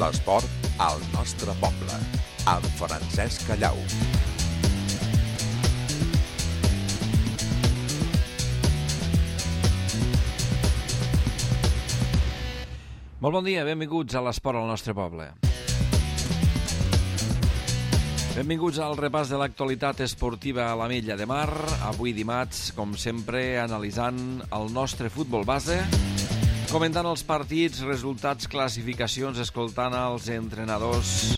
L'esport al nostre poble, amb Francesc Callau. Molt bon dia, benvinguts a l'esport al nostre poble. Benvinguts al repàs de l'actualitat esportiva a l'Ametlla de Mar. Avui dimarts, com sempre, analitzant el nostre futbol base, comentant els partits, resultats, classificacions, escoltant els entrenadors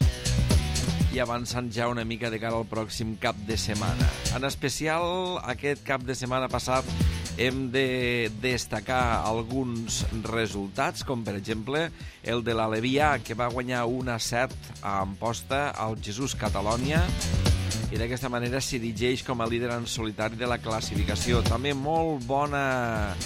i avançant ja una mica de cara al pròxim cap de setmana. En especial, aquest cap de setmana passat hem de destacar alguns resultats, com per exemple el de l'Alevià, que va guanyar 1-7 a Amposta al Jesús Catalònia i d'aquesta manera s'erigeix com a líder en solitari de la classificació. També molt bona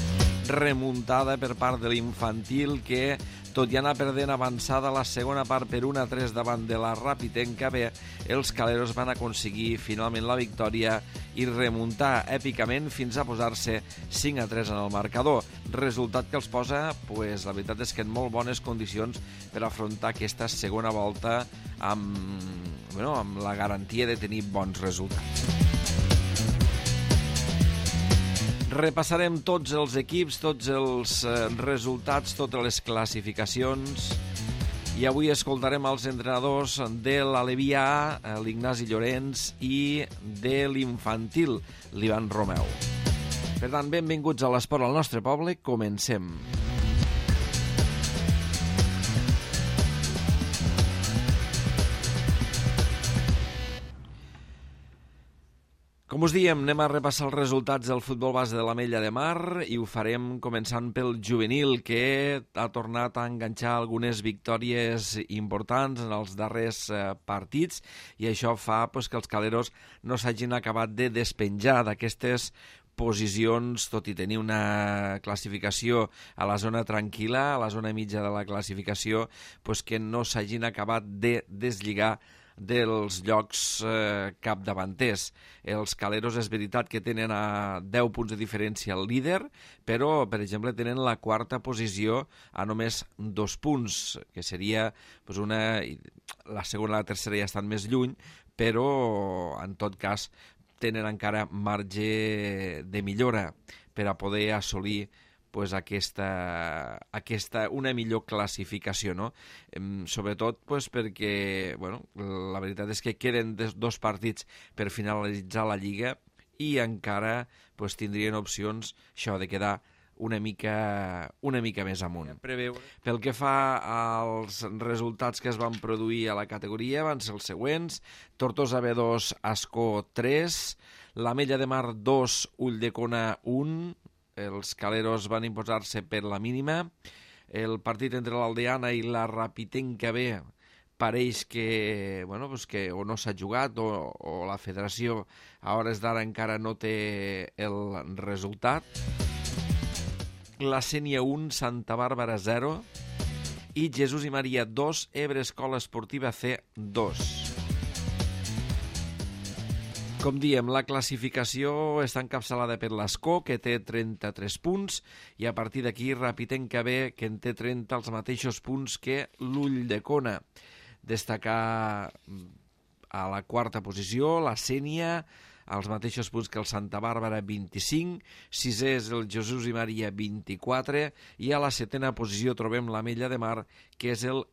remuntada per part de l'infantil, que tot i anar perdent avançada la segona part per 1-3 davant de la Rapitenca B, els caleros van aconseguir finalment la victòria i remuntar èpicament fins a posar-se 5-3 en el marcador. Resultat que els posa, la veritat és que en molt bones condicions per afrontar aquesta segona volta amb la garantia de tenir bons resultats. Repassarem tots els equips, tots els resultats, totes les classificacions, i avui escoltarem els entrenadors de l'Alevià, l'Ignasi Llorenç, i de l'infantil, l'Ivan Romeu. Per tant, benvinguts a l'esport al nostre poble. Comencem. Com us diem, anem a repassar els resultats del futbol base de l'Ametlla de Mar i ho farem començant pel juvenil, que ha tornat a enganxar algunes victòries importants en els darrers partits, i això fa que els caleros no s'hagin acabat de despenjar d'aquestes posicions, tot i tenir una classificació a la zona tranquil·la, a la zona mitja de la classificació, que no s'hagin acabat de deslligar dels llocs capdavanters. Els caleros és veritat que tenen a 10 punts de diferència el líder, però, per exemple, tenen la quarta posició a només 2 punts, que seria la segona i la tercera ja estan més lluny, però, en tot cas, tenen encara marge de millora per a poder assolir una millor classificació, no? Sobretot perquè la veritat és que queden 2 partits per finalitzar la Lliga i encara tindrien opcions això de quedar una mica més amunt. Pel que fa als resultats que es van produir a la categoria, van ser els següents: Tortosa B2, Ascó 3, l'Ametlla de Mar 2, Ulldecona 1, els caleros van imposar-se per la mínima. El partit entre l'Aldeana i la Rapitenca B pareix que o no s'ha jugat o la federació a hores d'ara encara no té el resultat. La Sénia 1, Santa Bàrbara 0 i Jesús i Maria 2, Ebre Escola Esportiva C 2. Com diem, la classificació està encapçalada per l'Ascó, que té 33 punts, i a partir d'aquí Rapitenca B, que en té 30, els mateixos punts que l'Ulldecona. Destacar a la quarta posició la Sénia, als mateixos punts que el Santa Bàrbara, 25, sisè és el Jesús i Maria, 24, i a la setena posició trobem l'Ametlla de Mar, que és el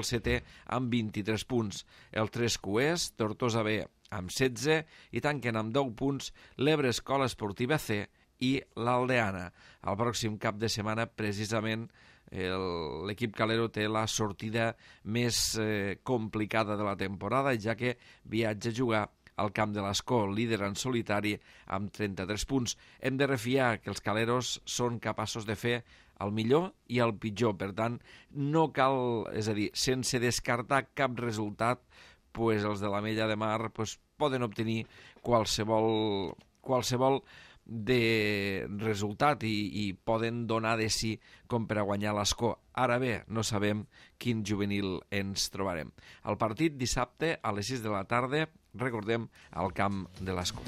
setè amb 23 punts. El Trescuers, Tortosa B, amb 16, i tanquen amb 10 punts l'Ebre Escola Esportiva C i l'Aldeana. El pròxim cap de setmana, precisament, l'equip calero té la sortida més complicada de la temporada, ja que viatja a jugar al camp de l'Ascó, líder en solitari amb 33 punts. Hem de refiar que els caleros són capaços de fer el millor i el pitjor, per tant, no cal, és a dir, sense descartar cap resultat, els de l'Ametlla de Mar poden obtenir qualsevol de resultat i poden donar de si com per a guanyar l'Ascó. Ara bé, no sabem quin juvenil ens trobarem. El partit dissabte a les 6 de la tarda, recordem, al camp de l'Ascó.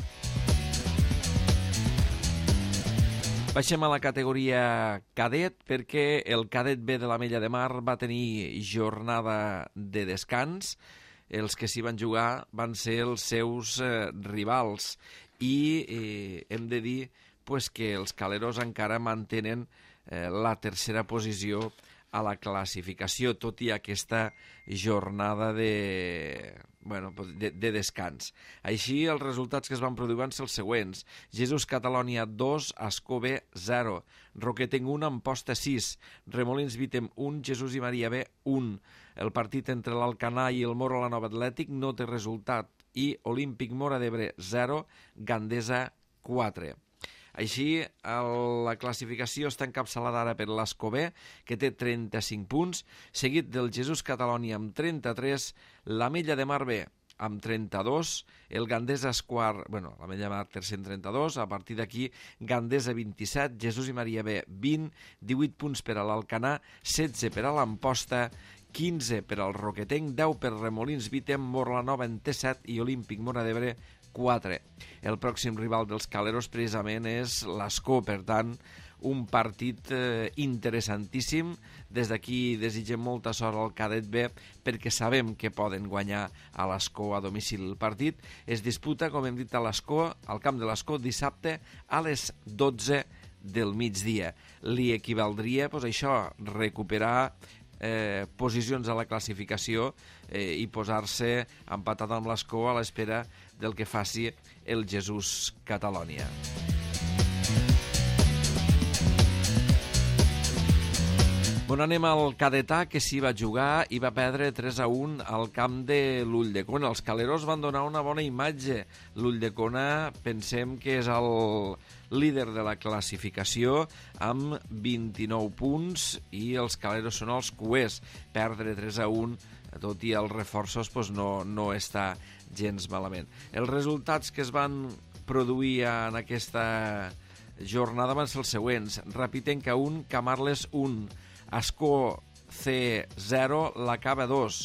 Baixem a la categoria cadet perquè el cadet B de l'Ametlla de Mar va tenir jornada de descans. Els que s'hi van jugar van ser els seus rivals i hem de dir que els caleros encara mantenen la tercera posició a la classificació, tot i aquesta jornada de descans. Així, els resultats que es van produir van ser els següents. Jesús Catalònia 2, Ascó B 0, Roquetenc 1, Amposta 6, Remolins Vítem 1, Jesús i Maria B 1. El partit entre l'Alcanar i el Moro la Nova Atlètic no té resultat i Olímpic Móra d'Ebre 0, Gandesa 4. Així, la classificació està encapçalada ara per l'Ascó B, que té 35 punts, seguit del Jesús Catalònia amb 33, l'Ametlla de Mar B amb 32, el Gandesa quart, l'Ametlla de Mar tercer amb 32, a partir d'aquí Gandesa 27, Jesús i Maria B 20, 18 punts per a l'Alcanar, 16 per a l'Amposta, 15 per al Roquetenc, 10 per Remolins Vítem, Morlanova en té 7 i Olímpic Móra d'Ebre 4. El pròxim rival dels caleros precisament és l'Ascó, per tant, un partit interessantíssim. Des d'aquí desitgem molta sort al cadet B perquè sabem que poden guanyar a l'Ascó a domicili. El partit es disputa, com hem dit, a l'Ascó, al camp de l'Ascó, dissabte a les 12 del migdia. Li equivaldria, recuperar posicions a la classificació i posar-se empatat amb l'Ascó a l'espera del que faci el Jesús Catalònia. Anem al cadetà, que s'hi va jugar i va perdre 3-1 al camp de l'Ulldecona. Els caleros van donar una bona imatge. L'Ulldecona pensem que és el líder de la classificació amb 29 punts i els caleros són els cuers. Perdre 3-1, tot i els reforços, no està gens malament. Els resultats que es van produir en aquesta jornada van ser els següents. Rapitenca 1, Camarles 1, Ascó C 0, la Cava 2,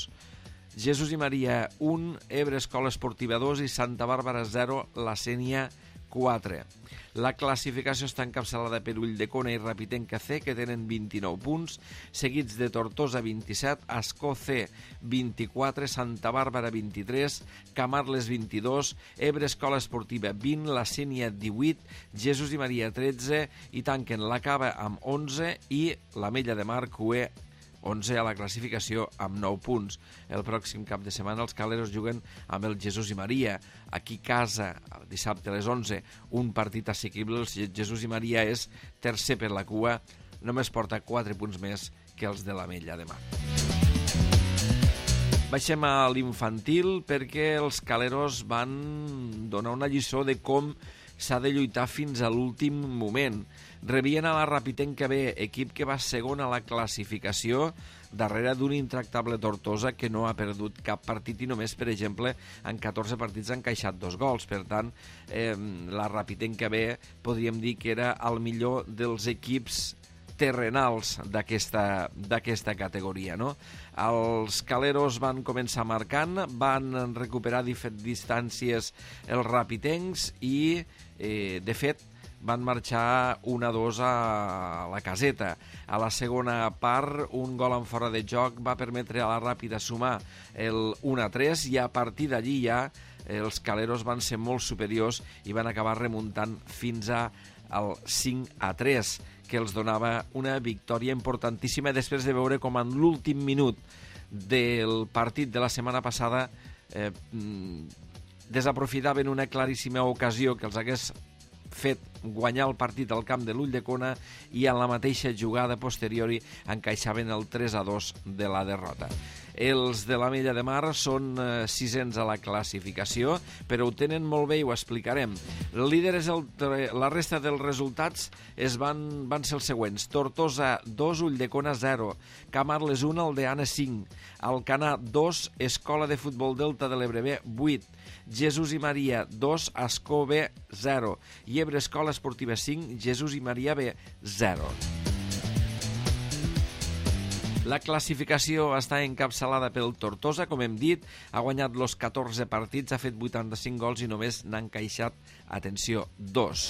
Jesús i Maria 1, Ebre Escola Esportiva 2 i Santa Bàrbara 0, la Sénia 4. La classificació està encapçalada per Ulldecona i Rapitenca C, que tenen 29 punts, seguits de Tortosa 27, Ascó C 24, Santa Bàrbara 23, Camarles 22, Ebre Escola Esportiva 20, la Sénia 18, Jesús i Maria 13 i tanquen la Cava amb 11 i l'Ametlla de Mar Cué 11 a la classificació amb 9 punts. El pròxim cap de setmana els caleros juguen amb el Jesús i Maria. Aquí a casa, dissabte a les 11, un partit assequible. El Jesús i Maria és tercer per la cua, només porta 4 punts més que els de l'Ametlla de Mar. Baixem a l'infantil perquè els caleros van donar una lliçó de com s'ha de lluitar fins a l'últim moment. Rebien a la Rapitenca B, equip que va segon a la classificació, darrere d'un intractable Tortosa que no ha perdut cap partit i només, per exemple, en 14 partits ha encaixat 2 gols. Per tant, la Rapitenca B podríem dir que era el millor dels equips terrenals d'aquesta categoria, no? Els caleros van començar marcant, van recuperar distàncies els rapitencs i, de fet, van marxar 1-2 a la caseta. A la segona part, un gol en fora de joc va permetre a la Ràpida sumar el 1-3 i a partir d'allí ja els caleros van ser molt superiors i van acabar remuntant fins al 5-3, que els donava una victòria importantíssima després de veure com en l'últim minut del partit de la setmana passada desaprofitaven una claríssima ocasió que els hagués fet guanyar el partit al camp de l'Ulldecona i en la mateixa jugada posteriori encaixaven el 3-2 de la derrota. Els de l'Ametlla de Mar són sisens a la classificació, però ho tenen molt bé i ho explicarem. El líder és la resta dels resultats van ser els següents. Tortosa 2, Ulldecona 0, Camarles 1, Aldeana 5, Alcanar 2, Escola de Futbol Delta de l'Ebre B 8, Jesús i Maria 2, Ascó B 0 i Ebre Escola Esportiva 5, Jesús i Maria B 0. La classificació està encapçalada pel Tortosa, com hem dit, ha guanyat els 14 partits, ha fet 85 gols i només n'ha encaixat, atenció, 2.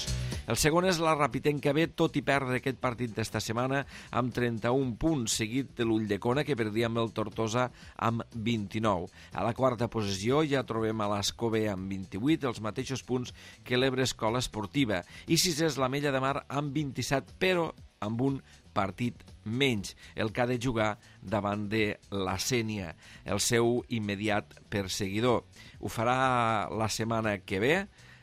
El segon és la Rapitenca B, tot i perdre aquest partit d'esta setmana, amb 31 punts, seguit de l'Ulldecona, que perdia amb el Tortosa amb 29. A la quarta posició ja trobem a l'Escó B amb 28, els mateixos punts que l'Ebre Escola Esportiva. I sisè és l'Ametlla de Mar amb 27, però amb un partit menys, el que ha de jugar davant de la Sénia, el seu immediat perseguidor. Ho farà la setmana que ve,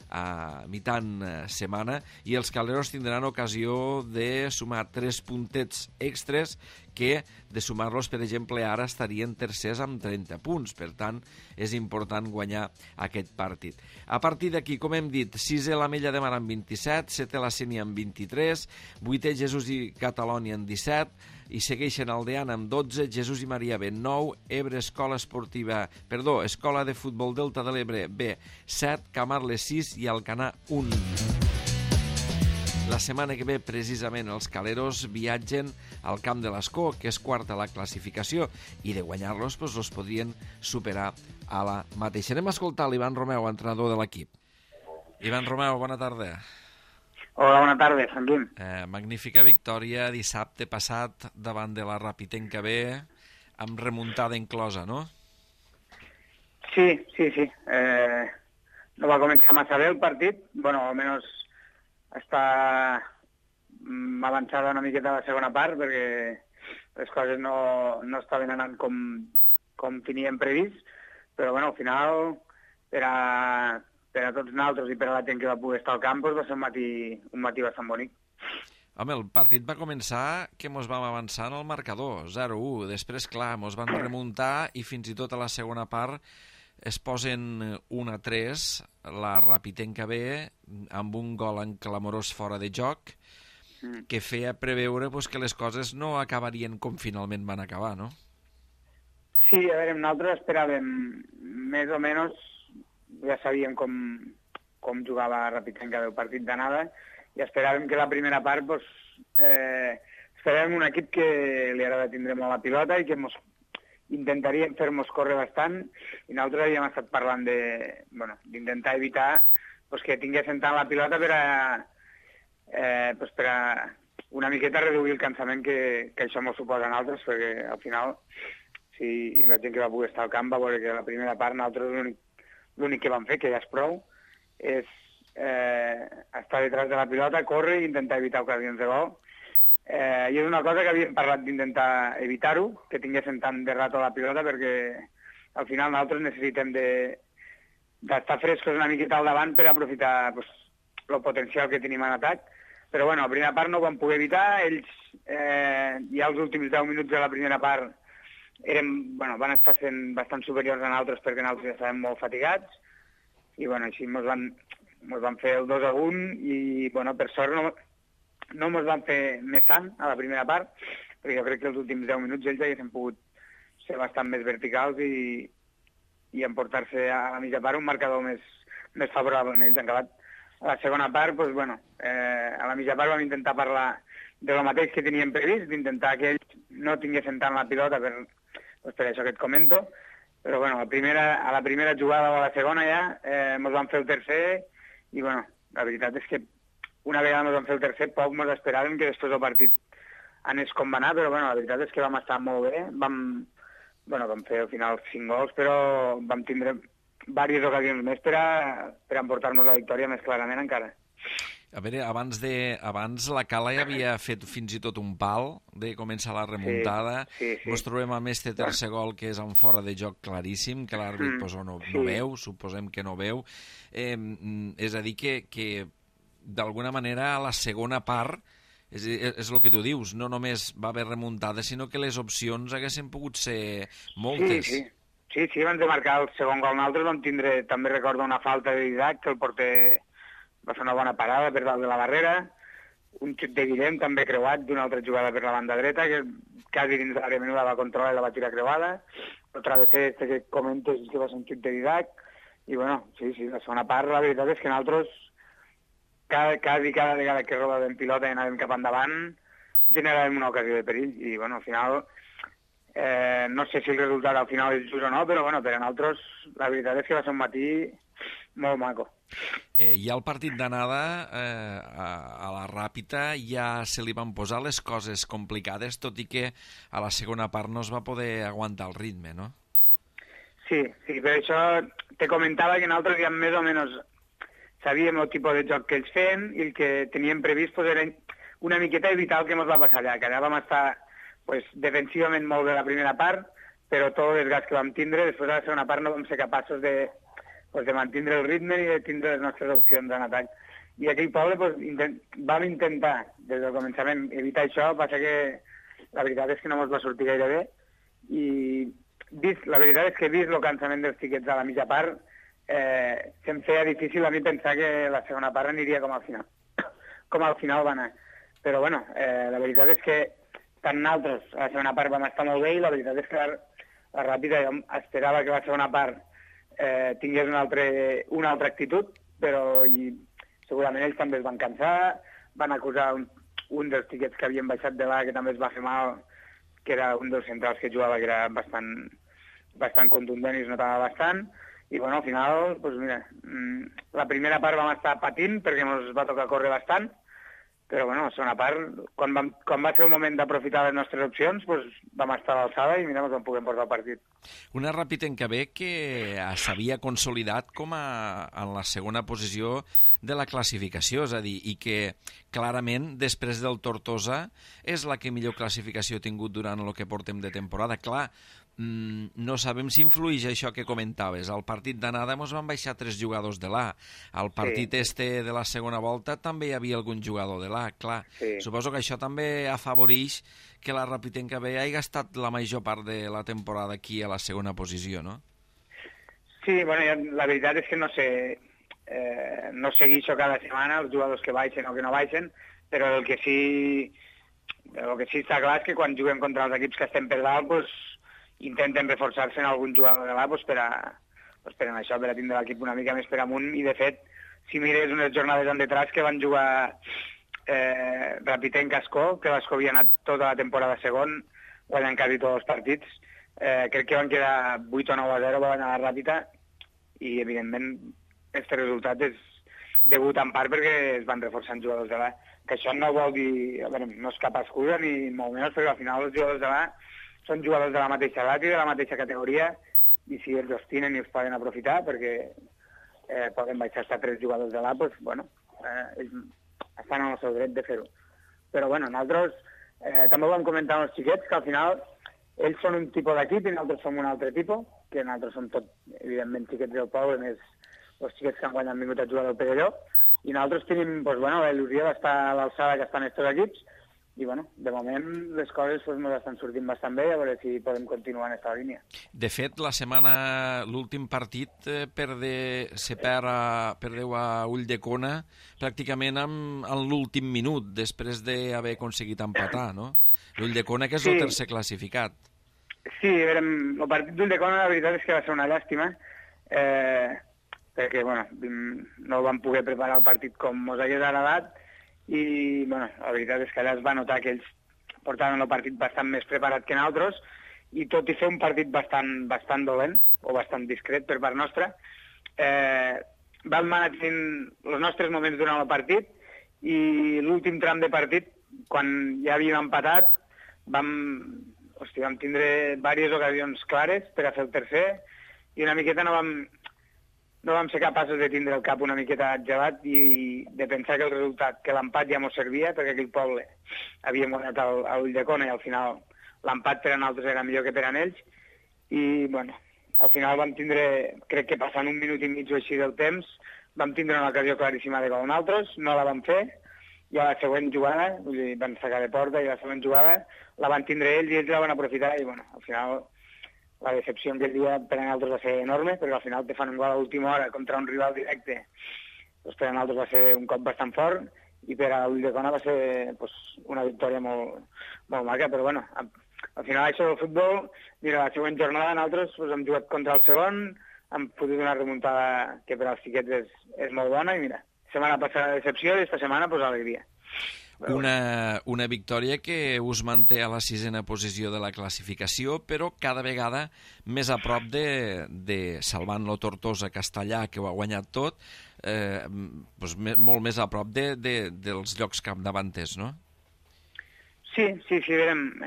a mitant setmana, i els calderos tindran ocasió de sumar 3 puntets extres que, de sumar-los, per exemple, ara estarien tercers amb 30 punts. Per tant, és important guanyar aquest partit. A partir d'aquí, com hem dit, 6è l'Ametlla de Mar amb 27, 7è la Sénia amb 23, 8è Jesús i Catalònia amb 17, i segueixen Aldeana amb 12, Jesús i Maria B 9, Ebre Escola de Futbol Delta de l'Ebre B 7, Camarles 6 i Alcanar 1. La setmana que ve, precisament, els caleros viatgen al camp de l'Escó, que és quarta a la classificació, i de guanyar-los els podrien superar a la mateixa. Anem a escoltar l'Ivan Romeu, entrenador de l'equip. Ivan Romeu, bona tarda. Hola, bona tarda, Sant Guim. Magnífica victòria dissabte passat davant de la Rapitenca B, amb remuntada inclosa, no? Sí. No va començar massa bé el partit. Bueno, almenys està avançada una miqueta la segona part, perquè les coses no estaven anant com teníem previst, però bueno, al final, per a tots nosaltres i per a la gent que va poder estar al camp, va ser un matí bastant bonic. Home, el partit va començar que mos vam avançar en el marcador, 0-1. Després, clar, mos van remuntar i fins i tot a la segona part es posen 1-3, la Rapitenca B, amb un gol en clamorós fora de joc, que feia preveure que les coses no acabarien com finalment van acabar, no? Sí, a veure, nosaltres esperàvem més o menys, ja sabíem com jugava Rapitenca el partit d'anada, i esperàvem que la primera part esperàvem un equip que li agrada tindre molt la pilota i que intentaríem fer-nos córrer bastant, i nosaltres havíem estat parlant d'intentar evitar que tinguessin tant la pilota per a una miqueta reduir el cansament que això ens suposa a nosaltres, perquè al final, si la gent que va poder estar al camp va veure que la primera part nosaltres l'únic que vam fer, que ja és prou, és estar detrás de la pilota, córrer i intentar evitar ocasions de gol. I és una cosa que havíem parlat d'intentar evitar-ho, que tinguessin tant de rato la pilota, perquè al final nosaltres necessitem d'estar frescos una miqueta al davant per aprofitar el potencial que tenim en atac. Però bueno, la primera part no ho vam poder evitar, ells ja els últims 10 minuts de la primera part van estar sent bastant superiors a nosaltres perquè nosaltres ja estàvem molt fatigats, i bueno, així mos van fer el 2-1 i bueno, per sort no mos van fer més sant a la primera part, perquè jo crec que els últims 10 minuts ells haguessin pogut ser bastant més verticals i emportar-se a la mitja part un marcador més favorable en ells. En acabat, a la segona part, a la mitja part vam intentar parlar de lo mateix que teníem previst, d'intentar que ells no tinguessin tant la pilota per això que et comento, però bueno, a la primera jugada o a la segona ja mos van fer el tercer, i bueno, la veritat és que una vegada ens vam fer el tercer, poc ens esperàvem que després el partit anés com va anar, però bueno, la veritat és que vam estar molt bé, vam fer al final 5 gols, però vam tindre diverses ocasions més per a emportar-nos la victòria més clarament encara. A veure, abans la Cala ja havia fet fins i tot un pal de començar la remuntada. Sí. Ens trobem amb este tercer gol que és en fora de joc claríssim, que l'àrbit no veu, suposem que no veu. És a dir, que d'alguna manera a la segona part és el que tu dius, no només va haver remuntada, sinó que les opcions haguessin pogut ser moltes. Sí, abans de marcar el segon gol nosaltres vam tindre, també recordo, una falta de Didac, que el porter va fer una bona parada per dalt de la barrera, un xut de Guillem també creuat d'una altra jugada per la banda dreta, que quasi dins de l'àrea menuda va controlar i la va tirar creuada, el travesser que comentes que va ser un xut de Didac, i bueno, sí, la segona part la veritat és que nosaltres cada vegada que rodàvem pilota i anàvem cap endavant generàvem una ocasió de perill, i bueno, al final No sé si el resultat al final és just o no, però bueno, per a nosaltres la veritat és que va ser un matí molt maco. I al partit d'anada, a la Ràpita, ja se li van posar les coses complicades, tot i que a la segona part no es va poder aguantar el ritme, no? Sí, per això te comentava que nosaltres ja més o menys sabíem el tipus de joc que ells feien i el que teníem previst pues, era una miqueta evitar el que ens va passar allà, que allà vam estar pues, defensivament molt bé la primera part, però tot el desgast que vam tindre, després de la segona part no vam ser capaços de mantenir el ritme i de tindre les nostres opcions en atac. I aquell poble pues, vam intentar, des del començament, evitar això, passa que la veritat és que no ens va sortir gaire bé, i la veritat és que vist el cansament dels xiquets a la mitja part, se'm feia difícil a mi pensar que la segona part aniria com al final. Com al final va anar. Però bueno, la veritat és que tant nosaltres a la segona part vam estar molt bé i la veritat és que la Ràpita jo esperava que la segona part tingués una altra actitud, però i segurament ells també es van cansar, van acusar un dels xiquets que havien baixat de l'A que també es va fer mal, que era un dels centrals que jugava, que era bastant contundent i es notava bastant, i bueno, al final, doncs mira, la primera part vam estar patint perquè ens va tocar córrer bastant, però bueno, la segona part, quan va ser el moment d'aprofitar les nostres opcions, doncs vam estar a l'alçada i mira, ens vam poder portar el partit. Una Ràpita que s'havia consolidat com en la segona posició de la classificació, és a dir, i que clarament, després del Tortosa, és la que millor classificació ha tingut durant el que portem de temporada. Clar, no sabem si influeix això que comentaves. Al partit d'anada ens van baixar 3 jugadors de l'A. Al partit de la segona volta també hi havia algun jugador de l'A. Clar, suposo que això també afavoreix que la Ràpita B hagi estat la major part de la temporada aquí a la segona posició, no? Sí, bueno, la veritat és que no sé, no segueixo cada setmana els jugadors que baixen o que no baixen, però el que sí està clar és que quan juguem contra els equips que estem per dalt, doncs, intenten reforçar-se en algun jugador de l'A per a això, per a tindre l'equip una mica més per amunt, i de fet, si mires unes jornades en detrás que van jugar Ràpita en Cascó, que l'Ascó havia anat tota la temporada segon, guanyant quasi tots els partits, crec que van quedar 8 o 9-0, va guanyar la Ràpita, i evidentment aquest resultat és degut en part perquè es van reforçant jugadors de l'A, que això no vol dir, no és cap excusa ni molt menys, perquè al final els jugadors de l'A són jugadors de la mateixa edat i de la mateixa categoria, i si ells els tenen i els poden aprofitar, perquè poden baixar a 3 jugadors de l'A, doncs, bueno, ells estan en el seu dret de fer-ho. Però, bueno, nosaltres també ho vam comentar amb els xiquets, que al final ells són un tipus d'equip i nosaltres som un altre tipus, que nosaltres som tot, evidentment, xiquets del poble, més els xiquets que han guanyat vingut a jugar del Perelló, i nosaltres tenim, doncs, bueno, la il·lusió d'estar a l'alçada que estan aquests equips, i bueno, de moment les coses ens estan sortint bastant bé, a veure si podem continuar en aquesta línia. De fet, l'últim partit perdeu a Ulldecona pràcticament en l'últim minut, després d'haver aconseguit empatar, no? L'Ulldecona, que és el tercer classificat. Sí, el partit d'Ulldecona la veritat és que va ser una llàstima, perquè bueno, no vam poder preparar el partit com ens hagués agradat, i bueno, la veritat és que allà es va notar que ells portaven el partit bastant més preparat que nosaltres, i tot i fer un partit bastant dolent, o bastant discret per part nostra, vam anar tenint els nostres moments durant el partit, i l'últim tram de partit, quan ja havíem empatat, vam tindre diverses ocasions clares per a fer el tercer, i una miqueta no vam ser capaços de tindre el cap una miqueta gelat i de pensar que el resultat, que l'empat ja ens servia, perquè aquell poble havíem guanyat a Ulldecona i al final l'empat per a nosaltres era millor que per a ells. I, bueno, al final vam tindre, crec que passant 1 minut i mig o així del temps, vam tindre una ocasió claríssima de gol nosaltres, no la vam fer, i a la següent jugada, vull dir, van sacar de porta, i a la següent jugada la van tindre ells i ells la van aprofitar, i, bueno, al final la decepció aquell dia per a nosaltres va ser enorme, perquè al final te fan un gol a l'última hora contra un rival directe. Doncs per a nosaltres va ser un cop bastant fort, i per a Ulldecona va ser una victòria molt, molt maca, però bueno, al final això del futbol, mira, la següent jornada nosaltres hem jugat contra el segon, hem pogut una remuntada que per als xiquets és molt bona, i mira, setmana passada decepció i esta setmana alegria. Una victòria que us manté a la 6a posició de la classificació, però cada vegada més a prop de salvant-lo Tortosa Castellà, que ho ha guanyat tot, doncs molt més a prop dels llocs capdavanters, no? Sí, veurem.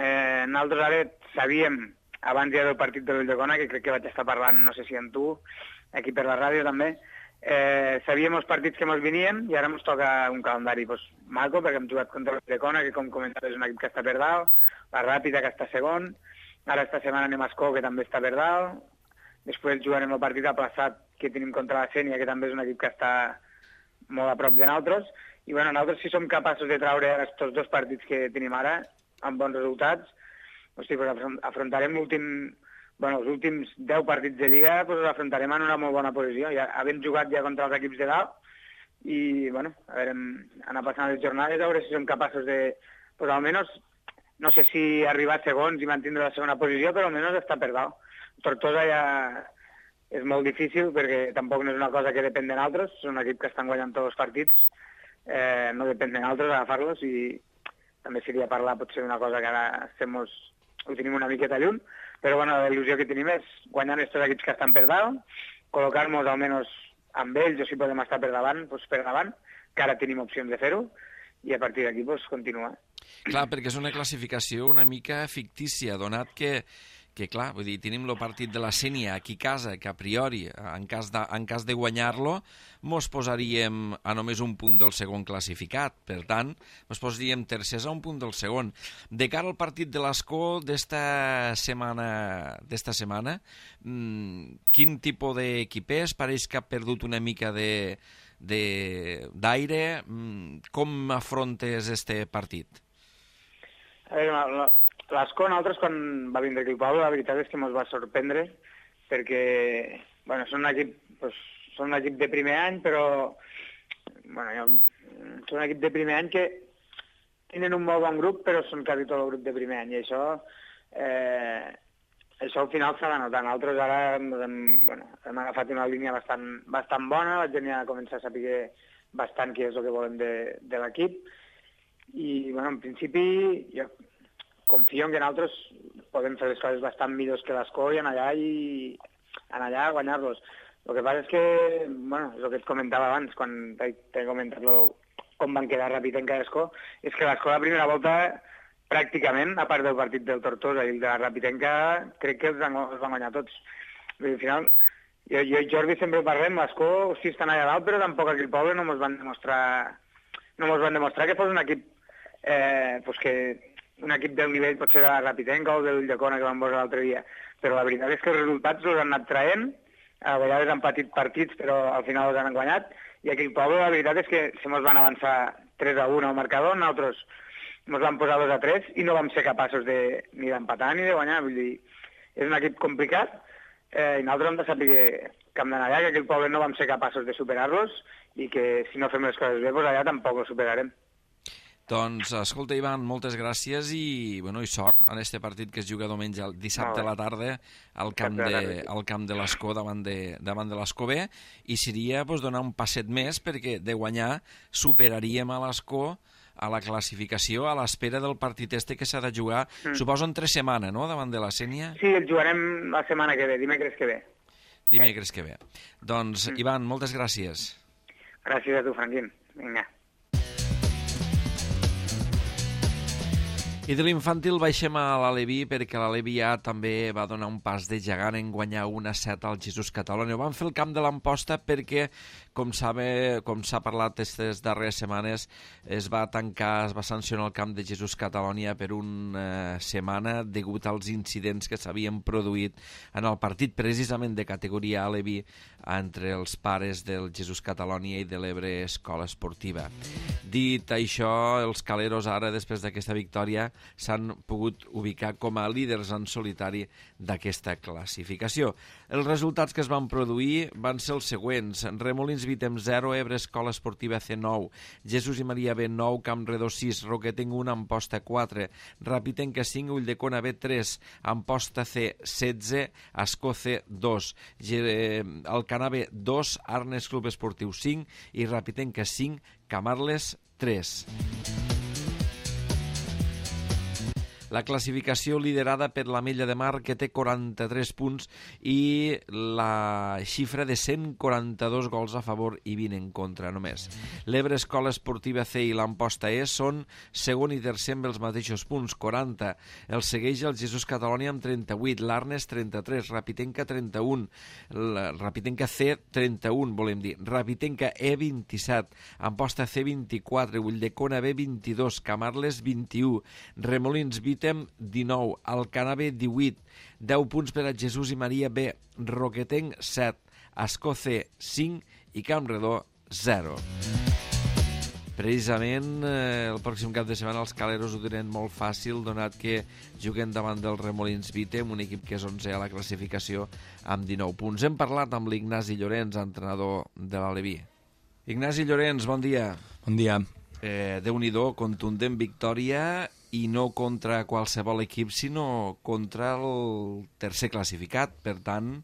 Nosaltres ara sabíem, abans ja del partit de l'Ulldecona, que crec que vaig estar parlant, no sé si amb tu, aquí per la ràdio també, sabíem els partits que ens venien i ara ens toca un calendari maco, perquè hem jugat contra l'Ulldecona, que com comentaves és un equip que està per dalt, la Ràpita, que està segon, ara esta setmana anem a Escó, que també està per dalt, després jugarem el partit aplaçat que tenim contra la Sénia, que també és un equip que està molt a prop de nosaltres, i bueno, nosaltres si som capaços de traure aquests dos partits que tenim ara, amb bons resultats, afrontarem els últims 10 partits de Lliga, els afrontarem en una molt bona posició, ja havent jugat ja contra els equips de dalt, i bueno, a veure, anar passant les jornades, a veure si som capaços de, almenys, no sé si arribar a segons i mantindre la segona posició, però almenys estar per dalt. Tortosa ja és molt difícil, perquè tampoc no és una cosa que depèn de nosaltres, és un equip que estan guanyant tots els partits, no depèn de nosaltres agafar-los, i també seria parlar potser d'una cosa que ara ho tenim una miqueta lluny, però bueno, la il·lusió que tenim és guanyar aquests equips que estan per dalt, col·locar-nos almenys amb ells, o si podem estar per davant, que ara tenim opcions de fer-ho, i a partir d'aquí continuar. Clar, perquè és una classificació una mica fictícia, donat que clar, vull dir, tenim el partit de la Sénia aquí a casa, que a priori, en cas de guanyar-lo, mos posaríem a només un punt del segon classificat. Per tant, mos posaríem tercers a un punt del segon. De cara al partit de l'Escó d'esta setmana, quin tipus d'equip és? Pareix que ha perdut una mica d'aire. Com afrontes este partit? A veure, l'Escó, nosaltres, quan va vindre aquí al poble, la veritat és que ens va sorprendre, perquè, bueno, són un equip de primer any, però, bueno, són un equip de primer any que tenen un molt bon grup, però són quasi tot el grup de primer any, i això al final s'ha de notar. Nosaltres ara hem agafat una línia bastant bona, la gent ja comença a saber bastant què és el que volem de l'equip, i, bueno, en principi, jo confio en que nosaltres podem fer les coses bastant millors que l'Escó i anar allà a guanyar-los. El que passa és que, bueno, és el que et comentava abans, quan t'he comentat com van quedar Rapitenca i Escó, és que l'Escó la primera volta, pràcticament, a part del partit del Tortosa i el de la Rapitenca, crec que els van guanyar tots. Al final, jo i Jordi sempre ho parlem, l'Escó sí estan allà dalt, però tampoc aquí al poble no ens van demostrar que fos un equip un equip del nivell potser de la Rapitenca o de l'Ulldecona que vam veure l'altre dia, però la veritat és que els resultats els han anat traient, a vegades han patit partits però al final els han guanyat, i aquí al poble la veritat és que se mos van avançar 3-1 al marcador, nosaltres ens vam posar 2-3 i no vam ser capaços ni d'empatar ni de guanyar, vull dir, és un equip complicat, i nosaltres hem de saber que hem d'anar allà, que aquí al poble no vam ser capaços de superar-los i que si no fem les coses bé, doncs allà tampoc ho superarem. Doncs, escolta, Ivan, moltes gràcies i sort en este partit que es juga dissabte a la tarda al camp de l'Escó davant de l'Escó B, i seria donar un passet més perquè de guanyar superaríem a l'Escó a la classificació a l'espera del partit que s'ha de jugar, suposo en 3 setmanes, no?, davant de la Sénia? Sí, el jugarem la setmana que ve, dimecres que ve. Dimecres que ve. Doncs, Ivan, moltes gràcies. Gràcies a tu, Franquín. Vinga. I de l'infantil baixem a l'Aleví perquè l'Aleví A també va donar un pas de gegant en guanyar 1-7 al Jesús Catalonia. Ho van fer el camp de l'Amposta perquè, com s'ha parlat aquestes darreres setmanes, es va sancionar el camp de Jesús Catalonia per una setmana degut als incidents que s'havien produït en el partit precisament de categoria Aleví entre els pares del Jesús Catalonia i de l'Ebre Escola Esportiva. Dit això, els caleros ara, després d'aquesta victòria, s'han pogut ubicar com a líders en solitari d'aquesta classificació. Els resultats que es van produir van ser els següents: Remolins Vitem 0, Ebre Escola Esportiva C 9, Jesús i Maria B 9, Campredó 6, Roquetenc 1, Amposta 4, Rapitenca 5, Ulldecona B 3, Amposta C 16, Escó C 2, Alcanar B 2, Arnes Club Esportiu 5 i Rapitenca 5, Camarles 3. La classificació liderada per l'Ametlla de Mar, que té 43 punts i la xifra de 142 gols a favor i 20 en contra només. L'Ebre Escola Esportiva C i l'Amposta E són segon i tercer amb els mateixos punts, 40. El segueix el Jesús Catalònia amb 38, l'Arnes 33, Rapitenca 31, Rapitenca C 31, volem dir, Rapitenca E 27, Amposta C 24, Ulldecona B 22, Camarles 21, Remolins Vítem 19, Alcanar B 18, 10 punts per a Jesús i Maria B, Roquetenc 7, Ascó C 5 i Campredó 0. Precisament el pròxim cap de setmana els caleros ho tenen molt fàcil, donat que juguen davant del Remolins Vítem, un equip que és 11è a la classificació amb 19 punts. Hem parlat amb l'Ignasi Llorenç, entrenador de l'Aleví. Ignasi Llorenç, bon dia. Bon dia. Déu-n'hi-do, contundent victòria i no contra qualsevol equip, sinó contra el tercer classificat. Per tant,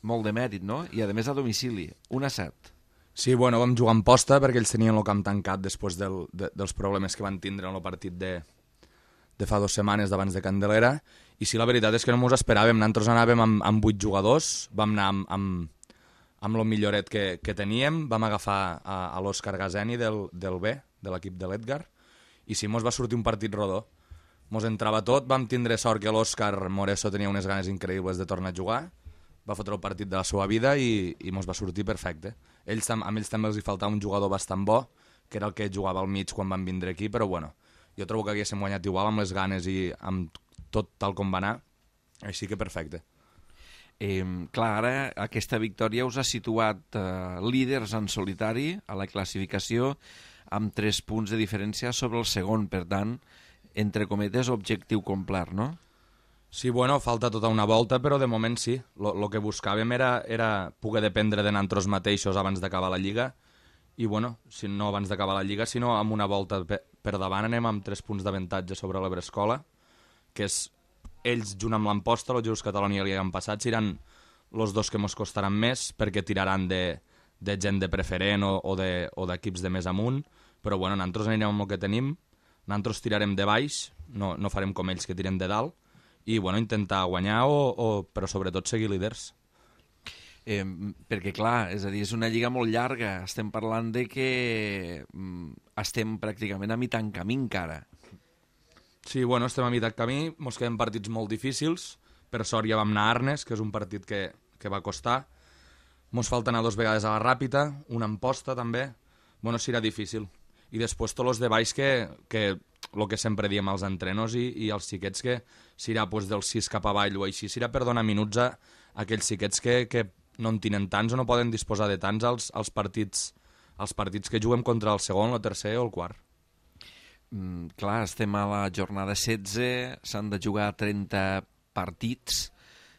molt de mèrit, no? I a més a domicili, 1-7. Sí, bueno, vam jugar en posta perquè ells tenien el camp tancat després dels problemes que van tindre en el partit de fa 2 setmanes d'abans de Candelera. I sí, la veritat és que no ens esperàvem. Nosaltres anàvem amb 8 jugadors, vam anar amb el milloret que teníem, vam agafar a l'Òscar Gazeni del B, de l'equip de l'Edgar, i sí, mos va sortir un partit rodó. Mos entrava tot, vam tindre sort que l'Òscar Moreso tenia unes ganes increïbles de tornar a jugar, va fotre el partit de la seva vida i mos va sortir perfecte. A ells també els hi faltava un jugador bastant bo, que era el que jugava al mig quan van vindre aquí, però bueno, jo trobo que haguéssim guanyat igual amb les ganes i amb tot tal com va anar, així que perfecte. Clar, ara aquesta victòria us ha situat líders en solitari a la classificació amb 3 punts de diferència sobre el segon, per tant, entre cometes, objectiu complert, no? Sí, bueno, falta tota una volta, però de moment sí. Lo que buscàvem era poder dependre de nosaltres mateixos abans d'acabar la Lliga, i bueno, si no abans d'acabar la Lliga, sinó amb una volta per davant anem amb 3 punts d'avantatge sobre l'Ebre Escola, que és ells, junt amb l'Amposta, el Jesús Catalònia i l'any passat, seran els dos que ens costaran més, perquè tiraran de gent de preferent o d'equips de més amunt, però bueno, nosaltres anirem amb el que tenim, nosaltres tirarem de baix, no farem com ells que tiren de dalt, i bueno, intentar guanyar però sobretot seguir líders. Perquè clar, és a dir, és una lliga molt llarga, estem parlant de que estem pràcticament a mitjan camí encara. Sí, bueno, estem a mitjan camí, mos queden partits molt difícils, per sort ja vam anar a Arnes, que és un partit que va costar, mos falta anar 2 vegades a la Ràpita, una en posta també, bueno, serà difícil. I després tots els de baix que el que sempre diem als entrenos i als xiquets que serà pues, del 6 cap avall o així, serà per donar minuts a aquells xiquets que no en tenen tants o no poden disposar de tants als partits que juguem contra el segon, el tercer o el quart. Clar, estem a la jornada 16, s'han de jugar 30 partits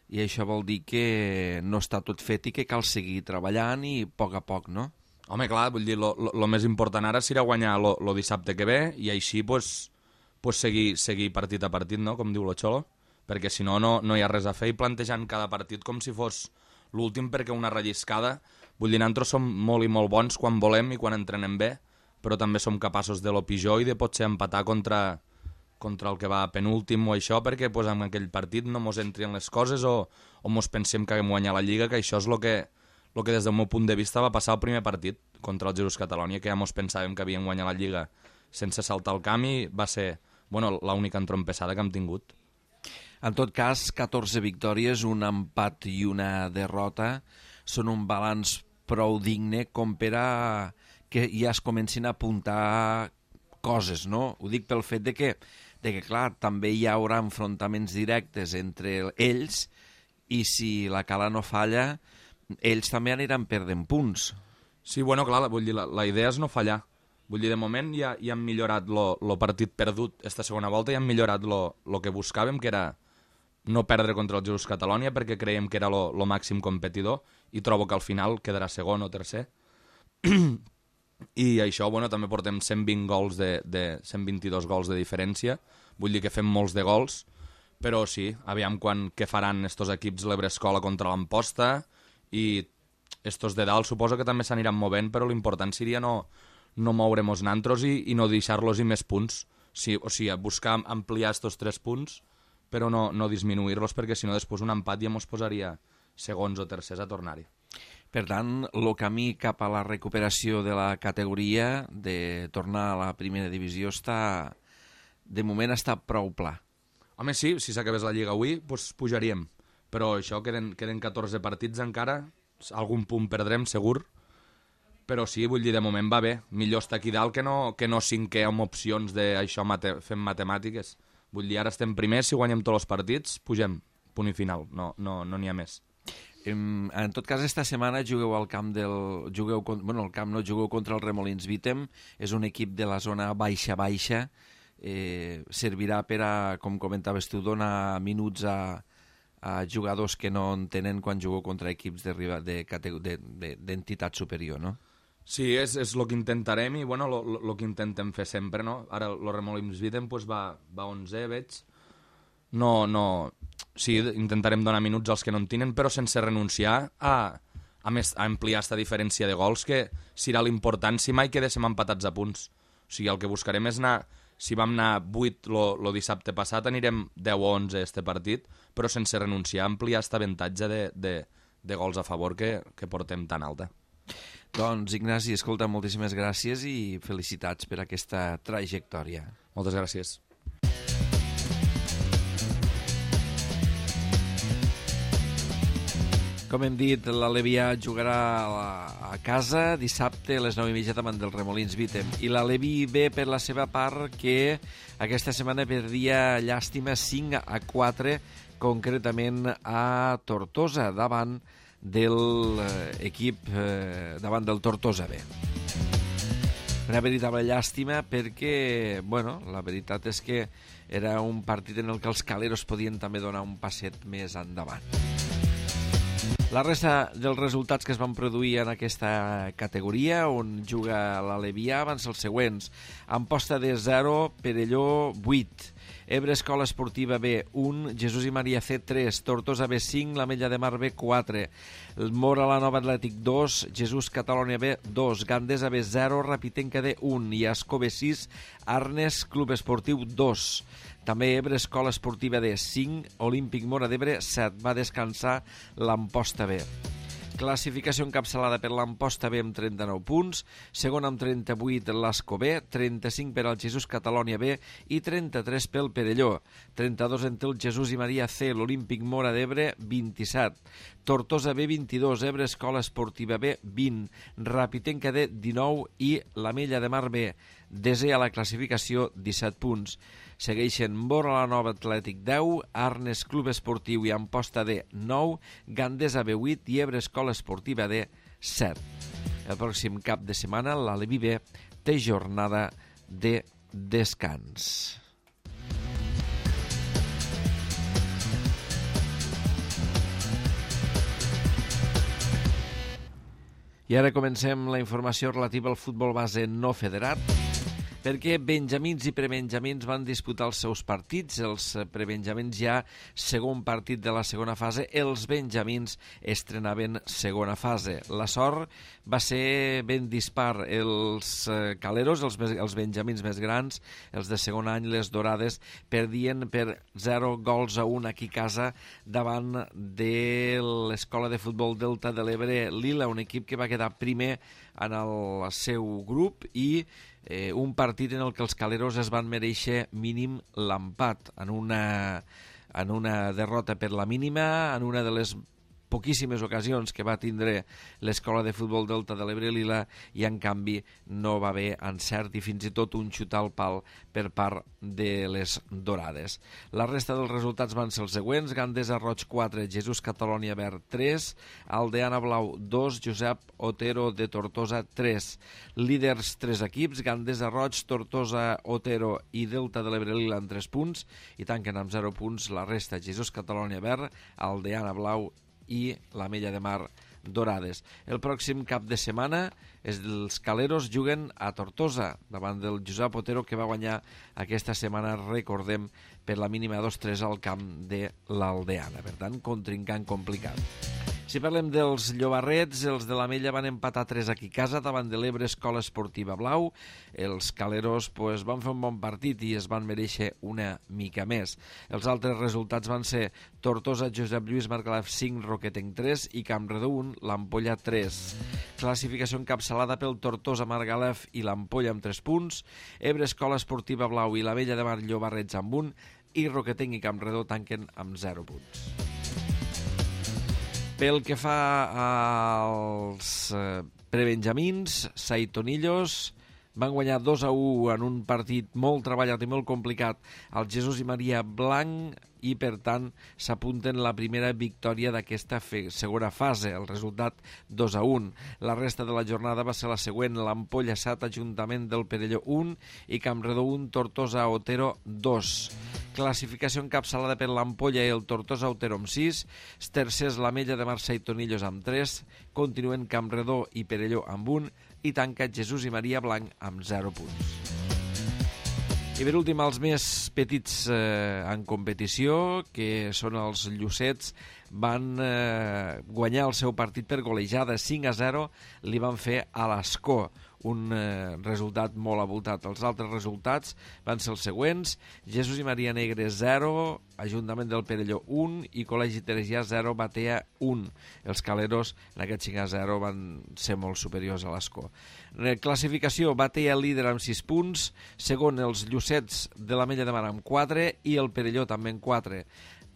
i això vol dir que no està tot fet i que cal seguir treballant i a poc, no? Home, clar, vull dir, lo més important ara serà guanyar lo dissabte que ve i així pues, seguir partit a partit, no?, com diu lo Xolo, perquè si no hi ha res a fer i plantejant cada partit com si fos l'últim perquè una relliscada. Vull dir, nosaltres som molt i molt bons quan volem i quan entrenem bé, però també som capaços de lo pitjor i de potser empatar contra el que va penúltim o això, perquè pues, en aquell partit no mos entrin les coses o mos pensem que haguem guanyat la Lliga, que això és el que des del meu punt de vista va passar el primer partit contra el Jesús Catalònia, que ja mos pensàvem que havien guanyat la Lliga sense saltar el camp i va ser l'única entrompessada que hem tingut. En tot cas, 14 victòries, un empat i una derrota són un balanç prou digne com per a que ja es comencin a apuntar coses, no? Ho dic pel fet de que clar, també hi haurà enfrontaments directes entre ells i si la Cala no falla, ells també aniran perdent punts. Sí, bueno, clar, vull dir, la idea és no fallar. Vull dir, de moment ja hem millorat lo partit perdut esta segona volta, ja hem millorat lo que buscàvem, que era no perdre contra el Jesús Catalònia, perquè creiem que era lo màxim competidor, i trobo que al final quedarà segon o tercer. I això, bueno, també portem 122 gols de diferència, vull dir que fem molts de gols, però sí, aviam què faran estos equips l'Ebre Escola contra l'Amposta, i estos de dalt suposo que també s'aniran movent, però l'important seria no moure-nos nantros i no deixar-los i més punts, Sí, o sigui, buscar ampliar estos 3 punts, però no disminuir-los, perquè si no després un empat ja ens posaria segons o tercers a tornar-hi. Per tant, el camí cap a la recuperació de la categoria, de tornar a la primera divisió, de moment està prou pla. Home, sí, si s'acabés la Lliga avui, doncs pujaríem. Però això, queden 14 partits encara, algun punt perdrem, segur. Però sí, vull dir, de moment va bé. Millor estar aquí dalt que no cinquè amb opcions d'això fem matemàtiques. Vull dir, ara estem primers, si guanyem tots els partits, pugem, punt i final, no n'hi ha més. En tot cas, esta setmana jugueu al camp jugueu contra el Remolins Vítem, és un equip de la zona baixa, servirà per a, com comentaves tu, donar minuts a jugadors que no en tenen quan jugueu contra equips d'entitat superior, no? Sí, és el que intentarem i bueno, el que intentem fer sempre, no? Ara el Remolins Vítem pues, va 11, veig. Sí, intentarem donar minuts als que no en tenen, però sense renunciar a ampliar aquesta diferència de gols, que serà l'important si mai quedéssim empatats a punts. O sigui, el que buscarem és anar... Si vam anar 8 el dissabte passat, anirem 10 o 11 este partit, però sense renunciar a ampliar aquest avantatge de gols a favor que portem tan alta. Doncs, Ignasi, escolta, moltíssimes gràcies i felicitats per aquesta trajectòria. Moltes gràcies. Com hem dit, l'Alevià jugarà a casa dissabte a les 9:30 davant del Remolins Vítem. I l'Alevi ve per la seva part que aquesta setmana perdia llàstima 5-4, concretament a Tortosa, davant del Tortosa B. Una veritable llàstima perquè, bueno, la veritat és que era un partit en el que els caleros podien també donar un passet més endavant. La resta dels resultats que es van produir en aquesta categoria, on juga l'Alevià, van ser els següents. Amposta de 0, Perelló 8, Ebre Escola Esportiva B 1, Jesús i Maria C 3, Tortosa B 5, l'Ametlla de Mar B 4, Mora la Nova Atlètic 2, Jesús Catalònia B 2, Gandesa B 0, Rapitenca D 1 i Ascó B 6, Arnes Club Esportiu 2. També Ebre Escola Esportiva D 5, Olímpic Mora d'Ebre 7. Va descansar l'Amposta B. Classificació encapçalada per l'Amposta B amb 39 punts, segon amb 38 l'Ascó B, 35 per al Jesús Catalònia B i 33 pel Perelló. 32 entre el Jesús i Maria C, l'Olímpic Mora d'Ebre 27. Tortosa B 22, Ebre Escola Esportiva B 20, Rapitenca D 19 i l'Ametlla de Mar B, desè a la classificació, 17 punts. Segueixen Mora la Nova Atlètic 10, Arnes Club Esportiu i Amposta D 9, Gandesa B 8 i Ebre Escola Esportiva D 7. El pròxim cap de setmana l'Alevi B té jornada de descans. I ara comencem la informació relativa al futbol base no federat, perquè benjamins i prebenjamins van disputar els seus partits. Els prebenjamins ja segon partit de la segona fase, els benjamins estrenaven segona fase. La sort va ser ben dispar. Els caleros, els benjamins més grans, els de segon any, les dorades, perdien per 0-1 aquí a casa davant de l'Escola de Futbol Delta de l'Ebre Lila, un equip que va quedar primer en el seu grup i un partit en el que els caleros es van mereixer mínim l'empat en una derrota per la mínima, en una de les poquíssimes ocasions que va tindre l'Escola de Futbol Delta de l'Ebre Lila, i en canvi no va haver encert i fins i tot un xut al pal per part de les dorades. La resta dels resultats van ser els següents: Gandesa Roig 4, Jesús Catalònia Verd 3, Aldeana Blau 2, Josep Otero de Tortosa 3. Líders 3 equips, Gandesa Roig, Tortosa, Otero i Delta de l'Ebre Lila amb 3 punts, i tanquen amb 0 punts la resta: Jesús Catalònia Verd, Aldeana Blau i l'Ametlla de Mar Dorades. El pròxim cap de setmana els caleros juguen a Tortosa davant del Josep Otero, que va guanyar aquesta setmana, recordem, per la mínima 2-3 al camp de l'Aldeana. Per tant, contrincant complicat. Si parlem dels llobarrets, els de l'Amella van empatar 3 aquí a casa davant de l'Ebre Escola Esportiva Blau. Els caleros van fer un bon partit i es van mereixer una mica més. Els altres resultats van ser Tortosa, Josep Lluís Margalef 5, Roquetenc 3 i Campredó 1, l'Ampolla 3. Classificació encapçalada pel Tortosa, Margalef i l'Ampolla amb 3 punts, Ebre Escola Esportiva Blau i l'Amella de Mar Llobarrets amb 1 i Roquetenc i Campredó tanquen amb 0 punts. Pel que fa als prebenjamins, Saitonillos van guanyar 2-1 en un partit molt treballat i molt complicat al Jesús i Maria Blanc i, per tant, s'apunten la primera victòria d'aquesta segona fase, el resultat 2-1. La resta de la jornada va ser la següent: l'Ampolla 7, Ajuntament del Perelló 1 i Campredó 1, Tortosa Otero 2. Classificació encapçalada per l'Ampolla i el Tortosa Otero amb 6, tercers l'Amella de Mar Saitonillos amb 3, continuen Campredó i Perelló amb 1 i tanca Jesús i Maria Blanc amb 0 punts. I per últim, els més petits en competició, que són els Llucets, van guanyar el seu partit per golejada 5-0, li van fer a l'Escó, un resultat molt avoltat. Els altres resultats van ser els següents: Jesús i Maria Negre 0, Ajuntament del Perelló 1 i Col·legi Teresià 0, Batea 1. Els caleros en aquest 5-0 van ser molt superiors a l'Escó. Classificació: Batea líder amb 6 punts, segon els Llucets de l'Amella de Mar amb 4 i el Perelló també amb 4.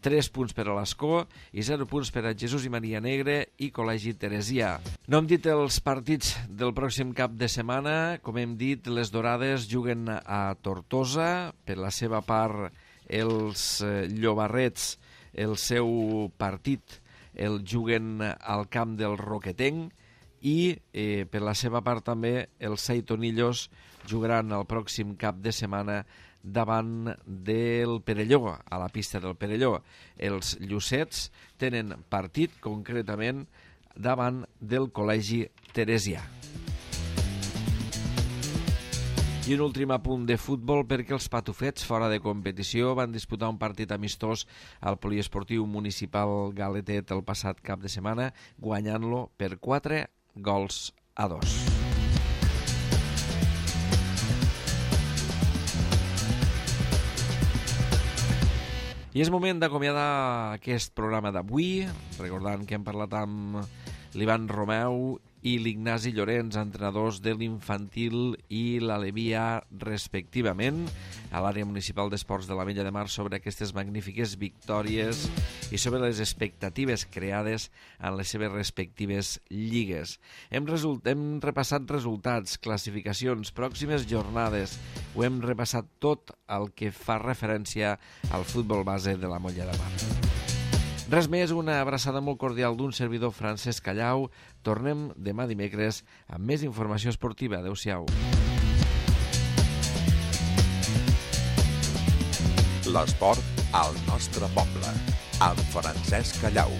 3 punts per a l'Escó i 0 punts per a Jesús i Maria Negre i Col·legi Teresià. No hem dit els partits del pròxim cap de setmana. Com hem dit, les Dorades juguen a Tortosa. Per la seva part, els Llobarrets, el seu partit el juguen al camp del Roquetenc i per la seva part també els Saitonillos jugaran el pròxim cap de setmana davant del Perelló, a la pista del Perelló. Els Llucets tenen partit concretament davant del Col·legi Teresià. I un últim apunt de futbol, perquè els patufets, fora de competició, van disputar un partit amistós al poliesportiu municipal Galetet el passat cap de setmana, guanyant-lo per 4-2. I és moment d'acomiadar aquest programa d'avui, recordant que hem parlat amb l'Ivan Romeu i l'Ignasi Llorenç, entrenadors de l'Infantil i l'Alevia, respectivament, a l'àrea municipal d'esports de l'Amella de Mar, sobre aquestes magnífiques victòries i sobre les expectatives creades en les seves respectives lligues. Hem repassat resultats, classificacions, pròximes jornades. Ho hem repassat tot el que fa referència al futbol base de la Molla de Mar. Res més, una abraçada molt cordial d'un servidor, Francesc Callau. Tornem demà dimecres amb més informació esportiva. Adéu-siau. L'esport al nostre poble, amb Francesc Callau.